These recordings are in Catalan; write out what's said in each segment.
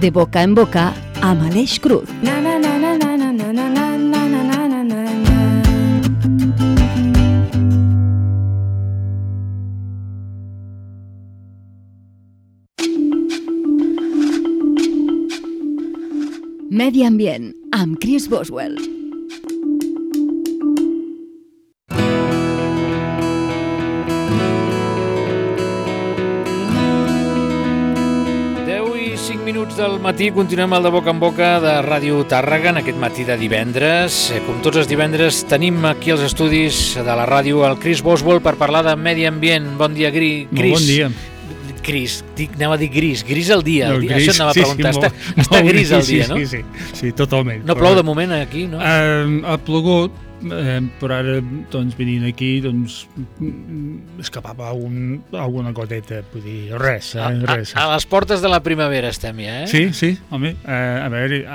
De boca en boca amb Aleix Cruz. Medi Ambient amb Chris Boswell. Del matí continuem el de boca en boca de Ràdio Tàrrega en aquest matí de divendres. Com tots els divendres tenim aquí als estudis de la ràdio el Chris Boswell per parlar de medi ambient. Bon dia, Chris. Bon dia. Chris, anava a dir gris el dia. No, gris, això anava a preguntar. Sí, està gris el dia, no? Sí, totalment. No plou de moment aquí, no? Ha plogut, però ara doncs, venint aquí doncs, escapava alguna goteta, vull dir, res. Res. A les portes de la primavera estem ja, eh? Sí, home, a veure,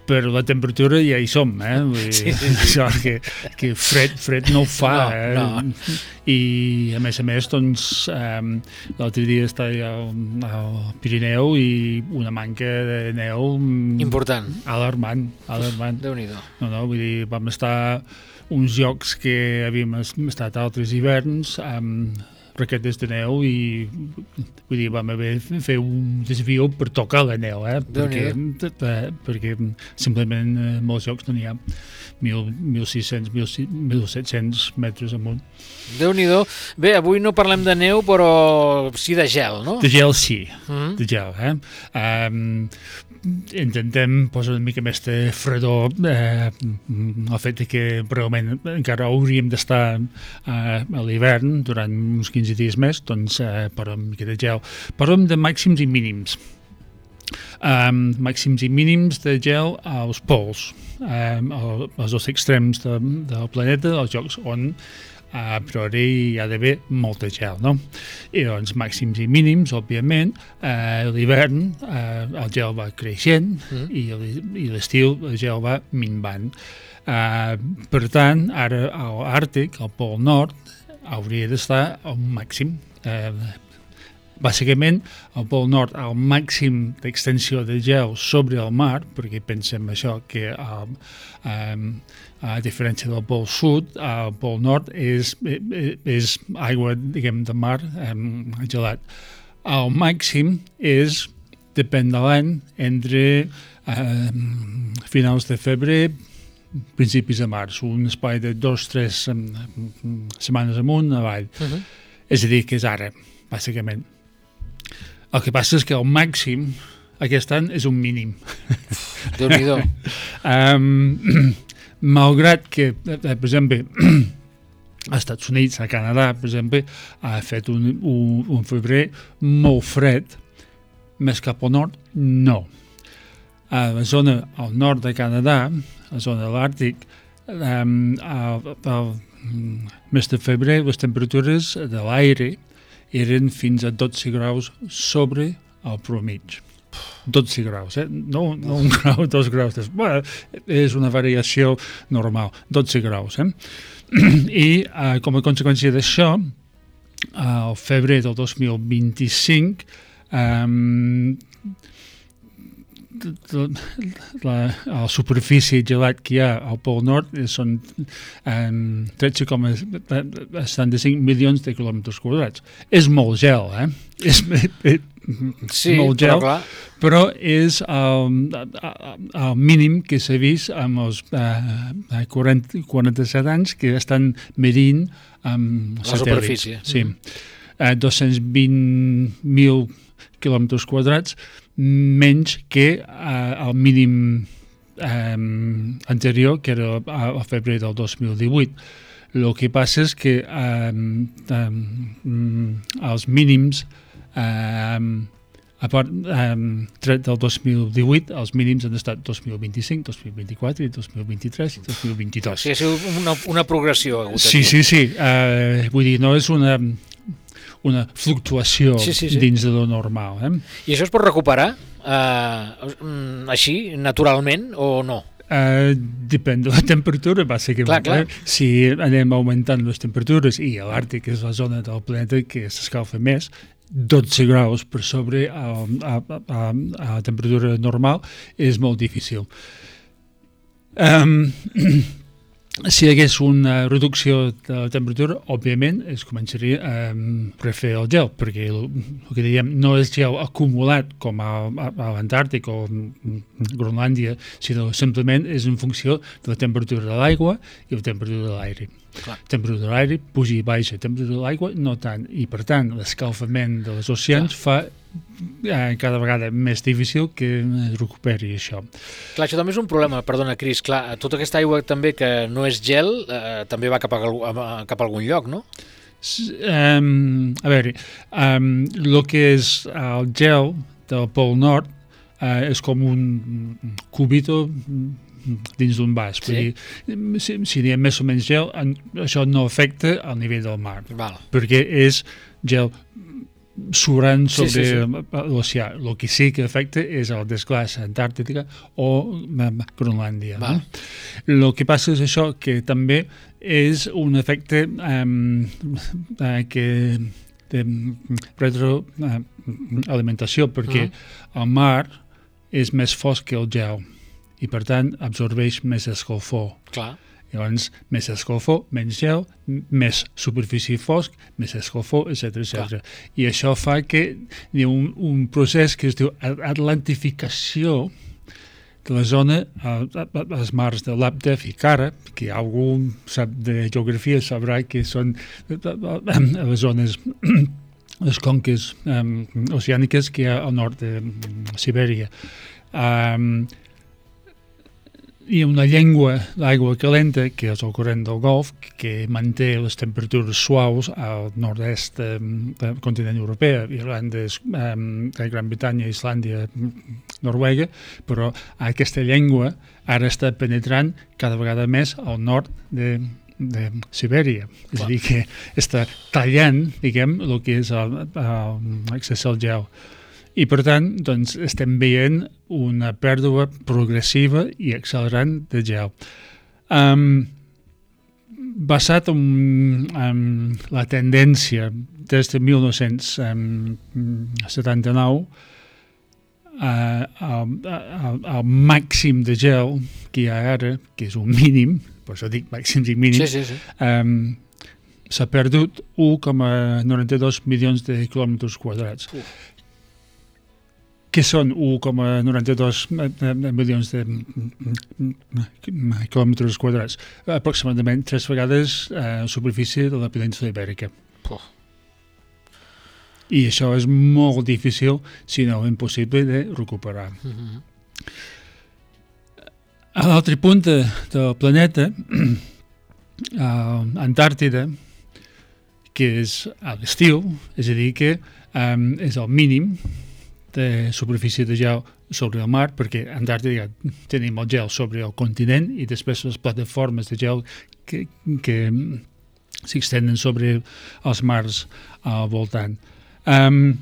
però la temperatura ja hi som, vull dir, això que fred no ho fa, no. I a més, doncs, l'altre dia estava al Pirineu i una manca de neu important, alarmant. Déu-n'hi-do. No, vull dir, vam estar uns llocs que havíem estat altres hiverns amb raquetes de neu i vull dir, vam haver de fer un desvio per tocar la neu, perquè simplement molts llocs no n'hi ha 1.600, 1.700 metres amunt. Déu-n'hi-do. Bé, avui no parlem de neu, però sí de gel, no? De gel sí, de gel. Intentem posar una mica més de fredor el fet que realment encara hauríem d'estar a l'hivern durant uns 15 dies més, doncs parlem una mica de gel. Parlem de màxims i mínims. Màxims i mínims de gel als pols, als dos extrems del planeta, als llocs on a priori hi ha d'haver molta gel, no? I doncs màxims i mínims, òbviament, l'hivern el gel va creixent i l'estiu el gel va minvant. Per tant, ara a l'Àrtic, al Pol Nord, hauria d'estar a un màxim. Bàsicament, al Pol Nord, el màxim d'extensió de gel sobre el mar, perquè pensem això, que a diferència del Pol Sud, el Pol Nord és aigua, diguem, de mar gelat. El màxim és, depèn de l'any, entre finals de febrer, principis de març, un espai de 2-3 setmanes amunt, avall. És a dir, que és ara, bàsicament. El que passa és que el màxim aquest any és un mínim. Déu-n'hi-do. Malgrat que, per exemple, als Estats Units, a Canadà, per exemple, ha fet un febrer molt fred, més cap al nord, no. A la zona al nord de Canadà, a la zona de l'Àrtic, al mes de febrer les temperatures de l'aire eren fins a 12 graus sobre el promig. 12 graus, no un grau, 2 graus. Bueno, és una variació normal, 12 graus. I com a conseqüència d'això, al febrer del 2025, la superfície gelat que hi ha al Pol Nord són 13,75 milions de quilòmetres quadrats. És molt gel, és molt gel, però és el mínim que s'ha vist amb els 47 anys que estan medint amb la superfície. Sí. 220.000 quilòmetres quadrats menys que el mínim anterior, que era a febrer del 2018. El que passa és que els mínims a part tret del 2018, els mínims han estat 2025, 2024, 2023 i 2022. Sí, ha sigut una progressió. Sí. Vull dir, no és una fluctuació dins de lo normal. I això es pot recuperar així, naturalment, o no? Depèn de la temperatura, bàsicament. Clar. Si anem augmentant les temperatures, i l'Àrtic és la zona del planeta que s'escalfa més, 12 graus per sobre a temperatura normal és molt difícil. Si hi hagués una reducció de la temperatura, òbviament es començaria a refer el gel, perquè el que diem no és gel acumulat com a l'Antàrtic o Groenlàndia, sinó simplement és en funció de la temperatura de l'aigua i la temperatura de l'aire. La temperatura de l'aire puja i baixa, la temperatura de l'aigua no tant, i per tant l'escalfament de les oceans fa cada vegada més difícil que es recuperi això. Clar, això també és un problema, perdona, Cris, clar, tota aquesta aigua també que no és gel també va cap a algun lloc, no? A veure, el que és el gel del Pol Nord és com un cubito dins d'un vas. Sí. Si hi ha més o menys gel, això no afecta al nivell del mar, Val. perquè és gel sobrant sobre Sí. l'oceà. El que sí que afecta és el desglaç antàrtica o Groenlàndia. Val. El que passa és això, que també és un efecte que de retroalimentació, perquè el mar és més fosc que el gel i per tant absorbeix més escalfor. Clar. Llavors, més escalfor, menys gel, més superfície fosc, més escalfor, etc. I això fa que hi ha un procés que es diu atlantificació de la zona, als mars de Labtev i Kara, que algú sap de geografia sabrà que són les zones, les conques oceàniques que hi ha al nord de Sibèria. Hi ha una llengua d'aigua calenta, que és el corrent del Golf, que manté les temperatures suaus al nord-est del continent europeu, Irlanda, Gran Bretanya, Islàndia, Noruega, però aquesta llengua ara està penetrant cada vegada més al nord de Sibèria. És a dir, que està tallant, diguem, el que és l'accés al gel. I, per tant, doncs, estem veient una pèrdua progressiva i accelerant de gel. Basat en la tendència des de 1979, el màxim de gel que hi ha ara, que és un mínim, per això dic màxims i mínims, s'ha perdut 1,92 milions de quilòmetres quadrats. Que són 1,92 milions de quilòmetres quadrats, aproximadament 3 vegades la superfície de la península Ibèrica. I això és molt difícil, si no impossible, de recuperar. A l'altra punta del planeta, a Antàrtida, que és a l'estiu, és a dir, que és el mínim de superfície de gel sobre el mar, perquè a Antàrtida tenim el gel sobre el continent i després les plataformes de gel que s'extenen sobre els mars al voltant. El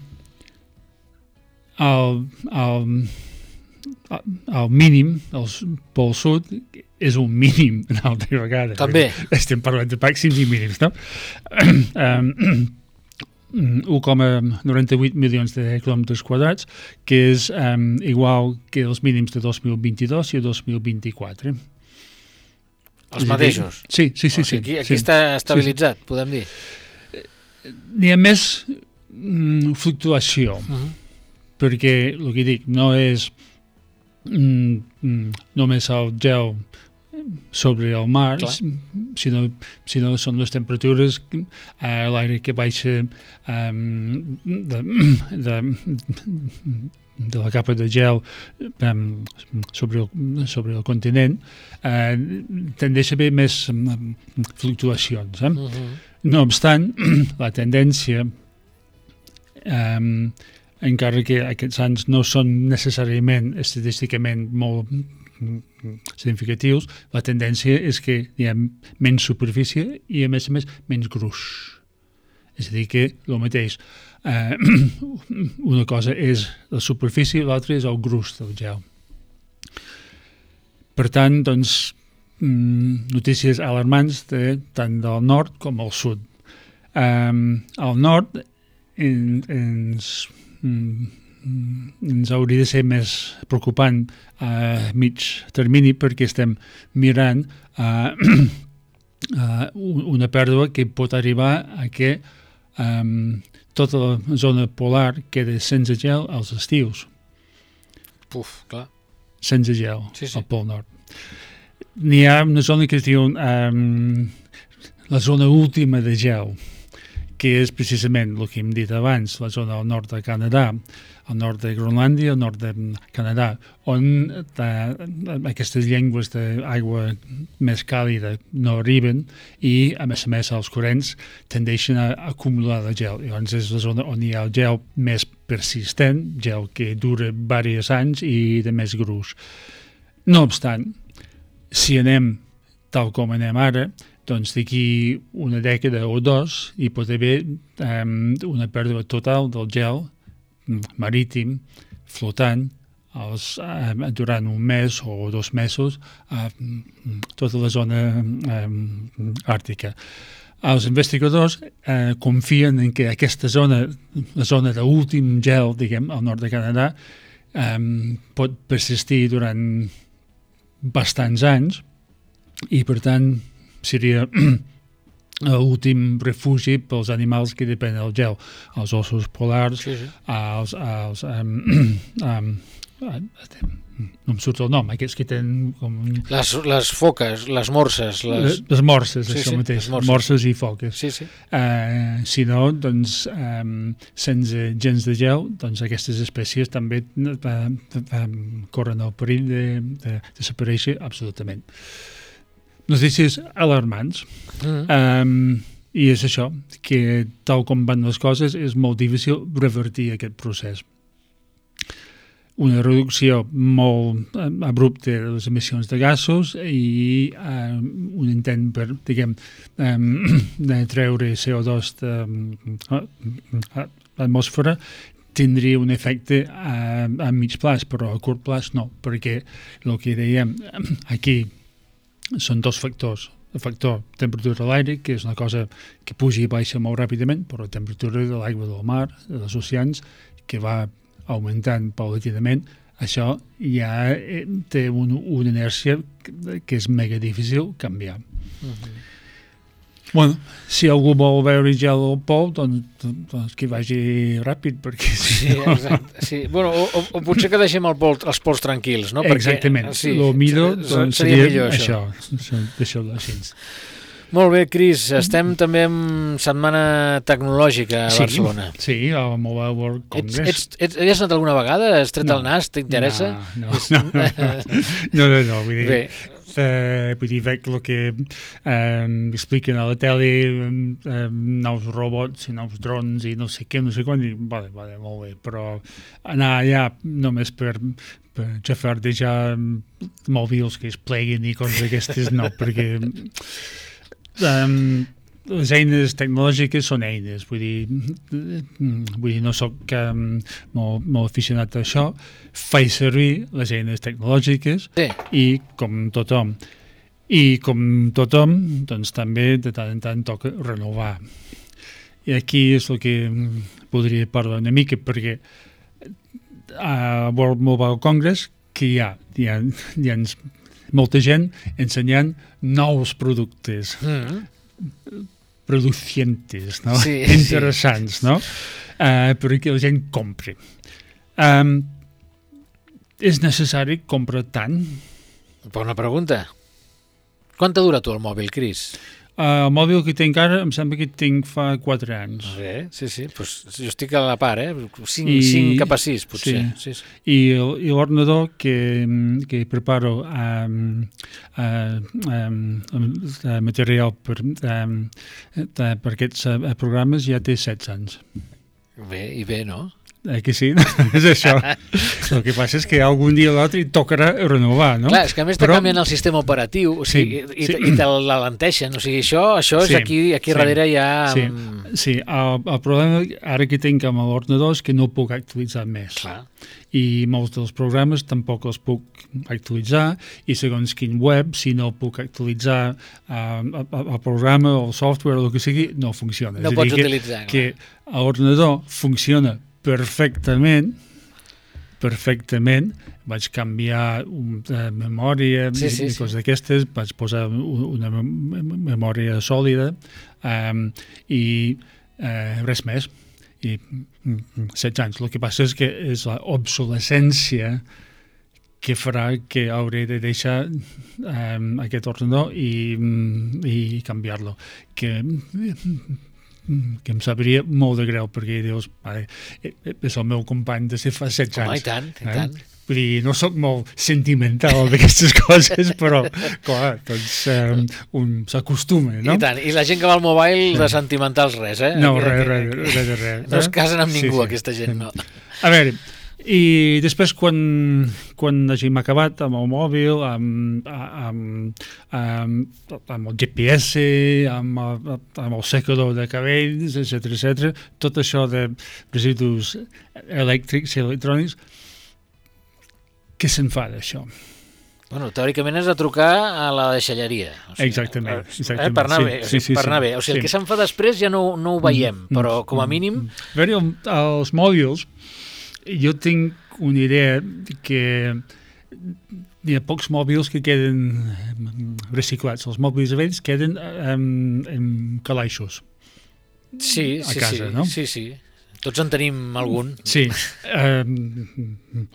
mínim, el pol sud, és un mínim una altra vegada. També. Estem parlant de màxims i mínims, no? 1,98 milions de quilòmetres quadrats, que és igual que els mínims de 2022 i 2024. Els mateixos? Sí. Aquí està estabilitzat, podem dir. N'hi ha més fluctuació, perquè el que dic no és només el gel sobre el mar, sinó són les temperatures, l'aire que baixa de la capa de gel sobre el continent, tendeix a haver més fluctuacions. No obstant, la tendència, encara que aquests anys no són necessàriament estadísticament molt significatius, la tendència és que hi ha menys superfície i, a més, menys gruix. És a dir, que el mateix, una cosa és la superfície, l'altra és el gruix del gel. Per tant, doncs, notícies alarmants tant del nord com al sud. Al nord ens hauria de ser més preocupant a mig termini perquè estem mirant una pèrdua que pot arribar a que tota la zona polar queda sense gel als estius. Clar. Sense gel, sí. al Pol Nord. N'hi ha una zona que es diu la zona última de gel, que és precisament el que hem dit abans, la zona al nord de Canadà, al nord de Groenlàndia, al nord de Canadà, on aquestes llengües d'aigua més càlida no arriben i, a més, els corrents tendeixen a acumular el gel. Llavors és la zona on hi ha el gel més persistent, gel que dura diversos anys i de més gruix. No obstant, si anem tal com anem ara, doncs d'aquí una dècada o dos hi pot haver una pèrdua total del gel marítim flotant durant un mes o 2 mesos a tota la zona àrtica. Els investigadors confien en que aquesta zona, la zona d'últim gel, diguem, al nord de Canadà, pot persistir durant bastants anys i, per tant, seria l'últim refugi pels animals que depenen del gel, els ossos polars, no em surt el nom, aquests que tenen com... Les foques, les morses. Les morses, això mateix, morses i foques. Si no, doncs, sense gens de gel, doncs aquestes espècies també corren el perill de desaparèixer absolutament. Notícies alarmants. I és això, que tal com van les coses és molt difícil revertir aquest procés. Una reducció molt abrupta de les emissions de gasos i un intent per, diguem, de treure CO2 de l'atmosfera tindria un efecte a mig plaç, però a curt plaç no, perquè el que dèiem aquí són dos factors. El factor temperatura de l'aire, que és una cosa que puja i baixa molt ràpidament, però la temperatura de l'aigua del mar, dels oceans, que va augmentant paulatinament, això ja té una inèrcia que és mega difícil canviar. Bueno, si algú vol veure gel al pol, doncs que vagi ràpid, perquè... Sí, exacte. Sí. Bueno, o potser que deixem els pols tranquils, no? Exactament. El millor seria millor, això. Deixeu-ho així. Molt bé, Cris. Estem també en Setmana Tecnològica a Barcelona. Sí, al Mobile World Congress. Has anat alguna vegada? Has tret el nas? T'interessa? No, vull dir... Bé. Vull dir, veig el que expliquen a la tele, nous robots i nous drons i no sé què, no sé quan, i vale, molt bé, però anar allà només per xafardejar mòbils que es pleguin i coses d'aquestes, no, perquè les eines tecnològiques són eines, vull dir no soc molt aficionat a això, faig servir les eines tecnològiques i com tothom, doncs també de tant en tant toca renovar. I aquí és el que podria parlar una mica, perquè a World Mobile Congress que hi ha molta gent ensenyant nous productes producientes, no? Interessants, no? Perquè la gent compri. És necessari comprar tant? Bona pregunta. Quant t'ha durat tu el mòbil, Cris? El mòbil que tinc ara em sembla que tinc fa 4 anys. Bé, sí. Pues jo estic a la part, 5 cap a 6, potser. Sí. I l'ordenador que preparo material per aquests programes ja té 16 anys. Bé, no? Que sí, és això. El que passa és que algun dia o l'altre hi tocarà renovar, no? Clar, és que a més te canvien el sistema operatiu, o sigui, i te l'alenteixen, o sigui, això és aquí darrere ja... Sí, el problema ara que tinc amb l'ordinador és que no puc actualitzar més. Clar. I molts dels programes tampoc els puc actualitzar, i segons quin web, si no puc actualitzar el programa o el software o el que sigui, no funciona. No pots utilitzar. Que l'ordinador funciona perfectament, vaig canviar memòria i coses d'aquestes, vaig posar una memòria sòlida i res més. I 16 anys. El que passa és que és l'obsolescència que farà que hauré de deixar aquest ordenador i canviar-lo. Que em sabria molt de greu, perquè dius, és el meu company de fa 16 anys. Home, i tant. Vull dir, no soc molt sentimental d'aquestes coses, però, clar, doncs un s'acostuma, no? I tant, i la gent que va al mobile de sentimentals res, eh? No, res. No es casen amb ningú, aquesta gent, no. A veure, i després quan hàgim acabat amb el mòbil, amb el GPS, amb el secador de cabells, etc., tot això de residus elèctrics i electrònics, què se'n fa d'això? Bueno, teòricament has de trucar a la deixalleria. O sigui, exactament. Per anar bé. O sigui, el que se'n fa després ja no ho veiem, però com a mínim... A veure, els mòbils, jo tinc una idea que hi ha pocs mòbils que queden reciclats. Els mòbils vells queden en calaixos. Sí, a casa, no? Sí. Tots en tenim algun. Sí,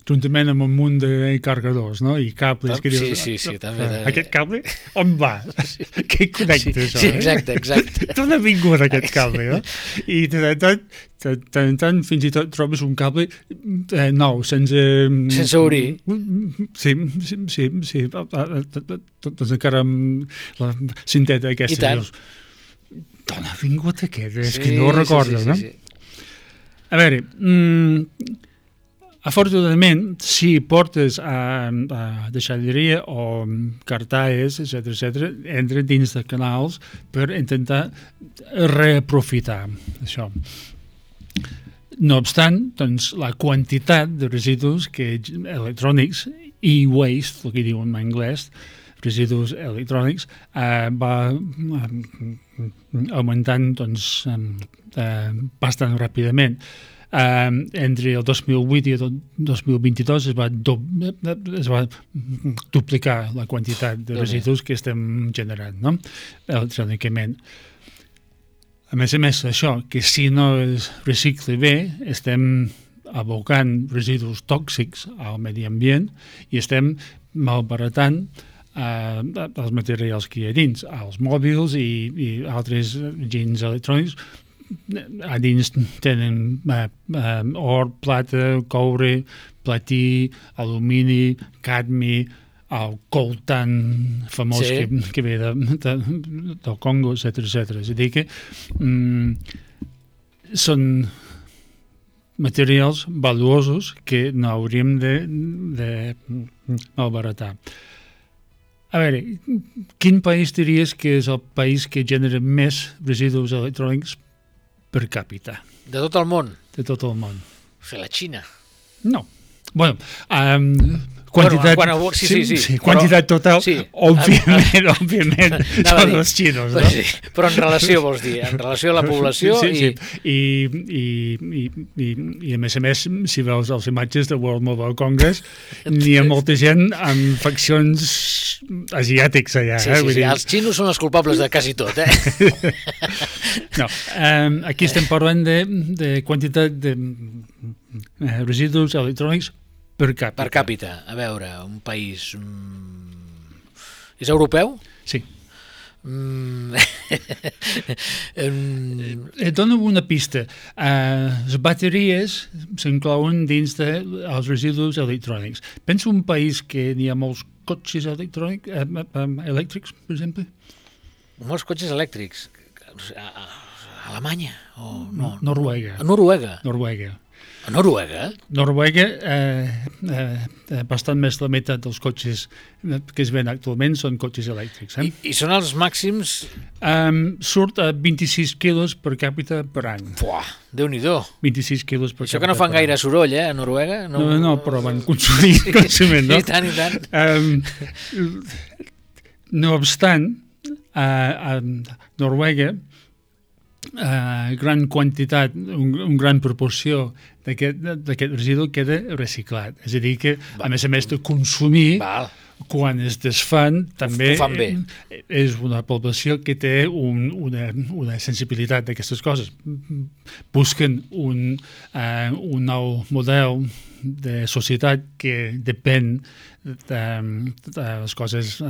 juntament amb un munt de carregadors, no? I cables. Que dius, sí, també. Aquest cable, on va? Què connecta això? Sí, exacte. D'on ha vingut aquest cable, no? I tant, fins i tot trobes un cable nou, sense obrir. Sí. Doncs encara amb la cinteta aquesta. I tant. D'on ha vingut aquest? És que no ho recordo, no? Sí. A veure, afortunadament, si portes a deixalleria o cartaes, etc., entra dins de canals per intentar reaprofitar això. No obstant, doncs, la quantitat de residus electrònics, e-waste, el que diuen en anglès, residus electrònics, va augmentant doncs, bastant ràpidament. Entre el 2008 i el 2022 es va duplicar la quantitat de residus que estem generant, no? Electrònicament. A més, això, que si no es recicla bé, estem abocant residus tòxics al medi ambient i estem malbaratant els materials que hi ha dins, els mòbils i altres gens electrònics. A dins tenen or, plata, coure, platí, alumini, cadmi, el coltan famós que ve del Congo, etc. És a dir que són materials valuosos que no hauríem de malbaratar. A veure, quin país diries que és el país que genera més residus electrònics per càpita? De tot el món? De tot el món. O sigui, la Xina? No. Bueno, quantitat... Sí. Quantitat total, òbviament, són els xinos, no? Sí, però en relació, vols dir, en relació a la població... Sí. I a més, si veus les imatges de World Mobile Congress, n'hi ha molta gent amb faccions asiàtics allà. Sí, els xinos són els culpables de quasi tot, eh? No, aquí estem parlant de quantitat de residus electrònics per càpita. Per càpita. A veure, un país... És europeu? Sí. Et dono una pista. Les bateries s'inclouen dins dels residus electrònics. Pensa un país que n'hi ha molts cotxes elèctrics, per exemple? Molts cotxes elèctrics. Alemanya? O no? Noruega. Noruega. A Noruega? Noruega, bastant més la meitat dels cotxes que es ven actualment són cotxes elèctrics. I són els màxims? Surt a 26 quilos per càpita per any. Fuà, Déu-n'hi-do. 26 quilos per Això càpita. que no fan gaire soroll, a Noruega? No, però van consumir coneixement, no? I tant. No obstant, a Noruega, gran quantitat, un gran proporció d'aquest residu queda reciclat. És a dir que, a més de consumir, quan es desfan, també és una població que té una sensibilitat d'aquestes coses. Busquen un nou model de societat que depèn de les coses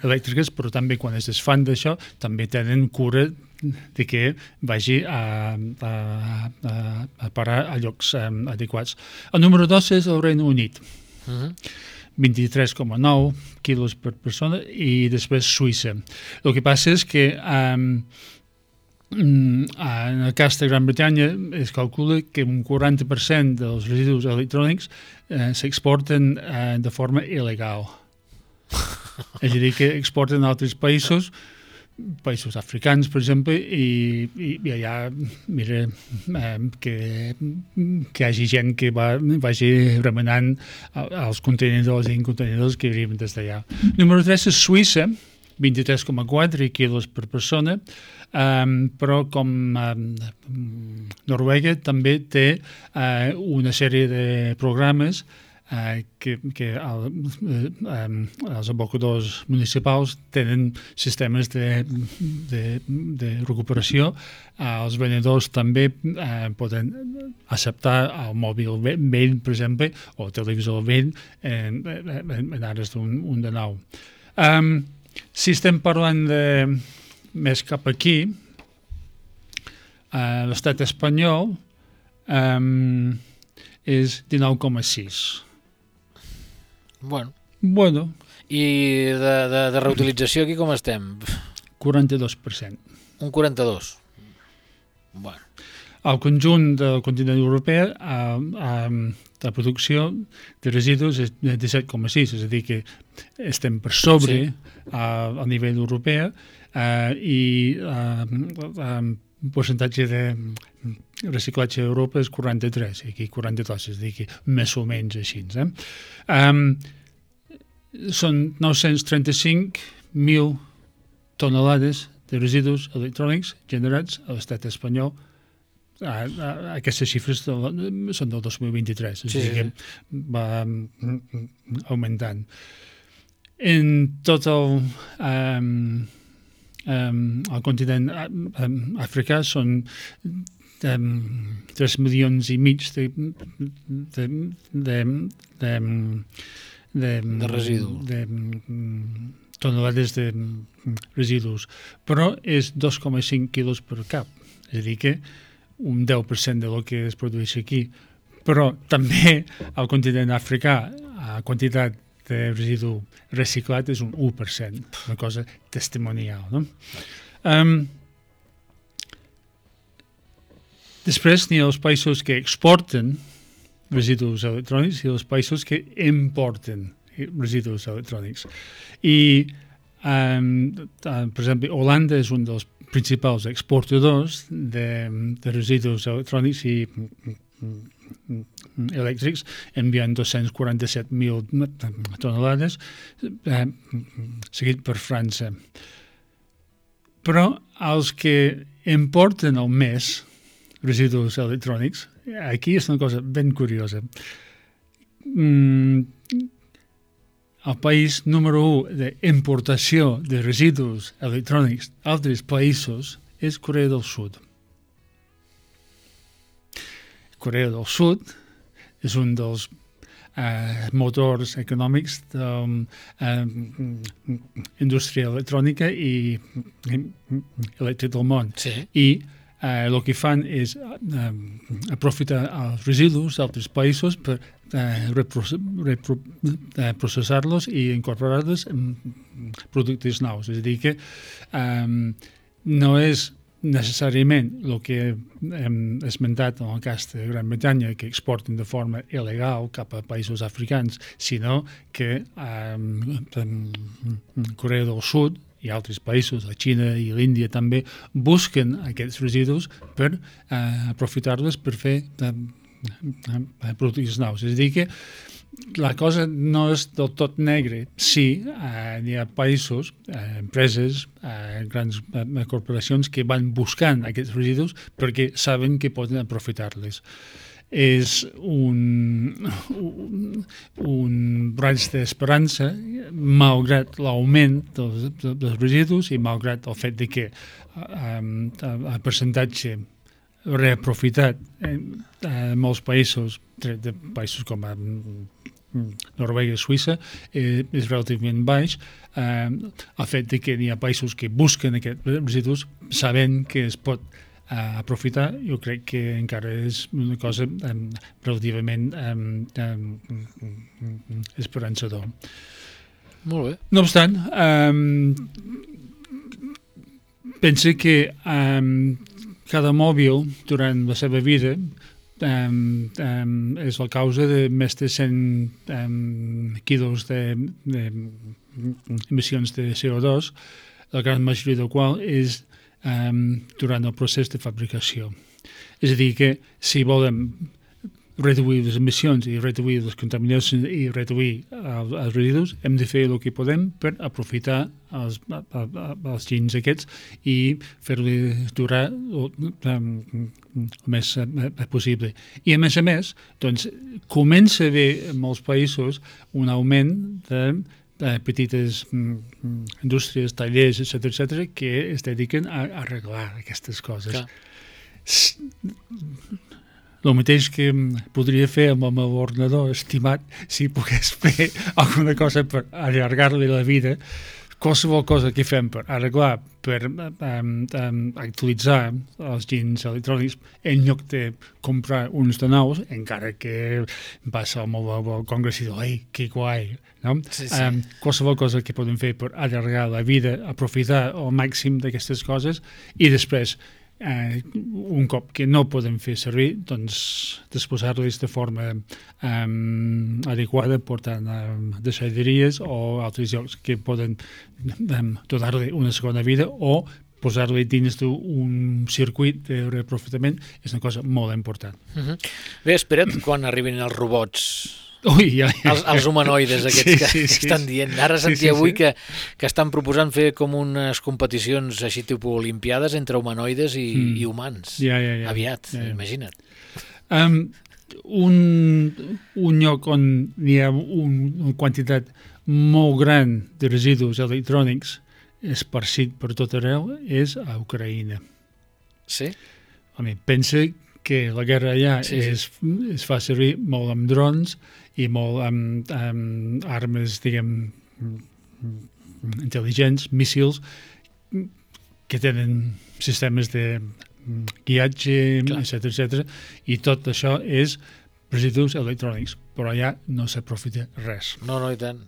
elèctriques, però també quan es desfan d'això també tenen cura de que vagi a parar a llocs adequats. El número 2 és el Regne Unit. 23,9 quilos per persona, i després Suïssa. El que passa és que en el cas de Gran Bretanya es calcula que un 40% dels residus electrònics s'exporten de forma il·legal. És a dir, que exporten a altres països africans, per exemple, i allà, mira, que hi hagi gent que vagi remenant els contenidors i incontenidors que arriben des d'allà. Número 3 és Suïssa, 23,4 quilos per persona, però com Noruega també té una sèrie de programes que els abocadors municipals tenen sistemes de recuperació. Els venedors també poden acceptar el mòbil vell, per exemple, o el televisor vell en ares d'un de nou. Si estem parlant més cap aquí, l'estat espanyol és 19,6. Bueno. I de reutilització aquí com estem? 42%. Un 42%. Bueno. El conjunt del continent europeu la producció de residus és de 17,6, és a dir que estem per sobre a nivell europeu, i el percentatge de reciclatge a Europa és 43, aquí 42, és a dir que més o menys així. Són 935.000 tonelades de residus electrònics generats a l'estat espanyol. Aquestes xifres són del 2023, és a dir que va augmentant. En tot el continent africà són 3,5 milions de residus. De tonelades de residus, però és 2,5 quilos per cap, és a dir que un 10% del que es produeix aquí. Però també al continent africà la quantitat de residu reciclat és un 1%, una cosa testimonial, no? Després n'hi ha els països que exporten residus electrònics i els països que importen residus electrònics. I, per exemple, Holanda és un dels principals exportadors de residus electrònics i elèctrics, enviant 247.000 tonelades, seguit per França. Però els que importen el més residus electrònics, aquí és una cosa ben curiosa. El país número 1 d'importació de residus electrònics d'altres països és Corea del Sud. Corea del Sud és un dels motors econòmics de indústria electrònica i elèctrica del món. Sí. I el que fan és aprofitar els residus d'altres països per processar-los i incorporar-los en productes nous. És a dir que no és necessàriament el que hem esmentat en el cas de Gran Bretanya, que exporten de forma il·legal cap a països africans, sinó que Corea del Sud i altres països, la Xina i l'Índia també, busquen aquests residus per aprofitar-los per fer productes nous. És a dir que la cosa no és del tot negre. Sí, hi ha països, empreses, grans corporacions que van buscant aquests residus perquè saben que poden aprofitar-les. És un raig d'esperança, malgrat l'augment dels residus i malgrat el fet de que el percentatge reaprofitat en molts països, de països com Noruega i Suïssa, és relativament baix. El fet de que hi ha països que busquen aquests residus sabent que es pot aprofitar, jo crec que encara és una cosa relativament esperançador. Molt bé. No obstant, pensa que cada mòbil durant la seva vida és la causa de més de 100 quilos d'emissions de CO2, la gran majoria del qual és durant el procés de fabricació. És a dir, que si volem reduir les emissions i reduir les contaminacions i reduir els residus, hem de fer el que podem per aprofitar els gens aquests i fer-los durar el més possible. I a més, doncs, comença a haver en molts països un augment de petites indústries, tallers, etc., que es dediquen a arreglar aquestes coses. Clar. El mateix que podria fer amb el meu ordenador estimat si pogués fer alguna cosa per allargar-li la vida. Qualsevol cosa que fem per arreglar, per actualitzar els gens electrònics, en lloc de comprar uns de nous, encara que passa al meu congrés i diu, ei, que guai, no? Sí. Qualsevol cosa que podem fer per allargar la vida, aprofitar al màxim d'aquestes coses i després, un cop que no podem fer servir, doncs disposar-les de forma adequada, portant a deixalleries o altres llocs que poden donar-li una segona vida o posar-li dins d'un circuit de reaprofitament és una cosa molt important. Bé, espera't quan arribin els robots. Ui, ja. Els humanoides aquests que estan dient. Ara sentia avui que estan proposant fer com unes competicions així tipus olimpiades entre humanoides i humans. Aviat, imagina't. Un lloc on hi ha una quantitat molt gran de residus electrònics esparcit per tot arreu és a Ucraïna. Sí? Pensa que la guerra allà es fa servir molt amb drons i molt amb armes, diguem, intel·ligents, míssils, que tenen sistemes de guiatge, etc. I tot això és residus electrònics, però allà no s'aprofita res. No, i tant.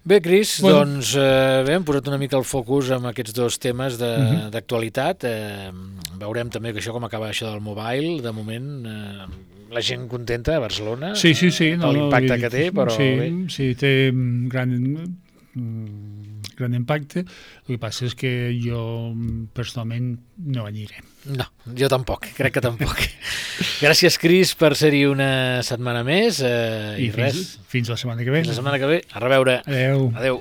Bé, Cris, doncs hem posat una mica el focus en aquests dos temes d'actualitat. Veurem també que això com acaba això del mobile. De moment, la gent contenta a Barcelona per l'impacte que té, però bé. Sí, té gran impacte. El que passa és que jo personalment no aniré. No, jo tampoc, crec que tampoc. Gràcies, Cris, per ser-hi una setmana més. I res. Fins la setmana que ve. Fins la setmana que ve. A reveure. Adeu. Adeu.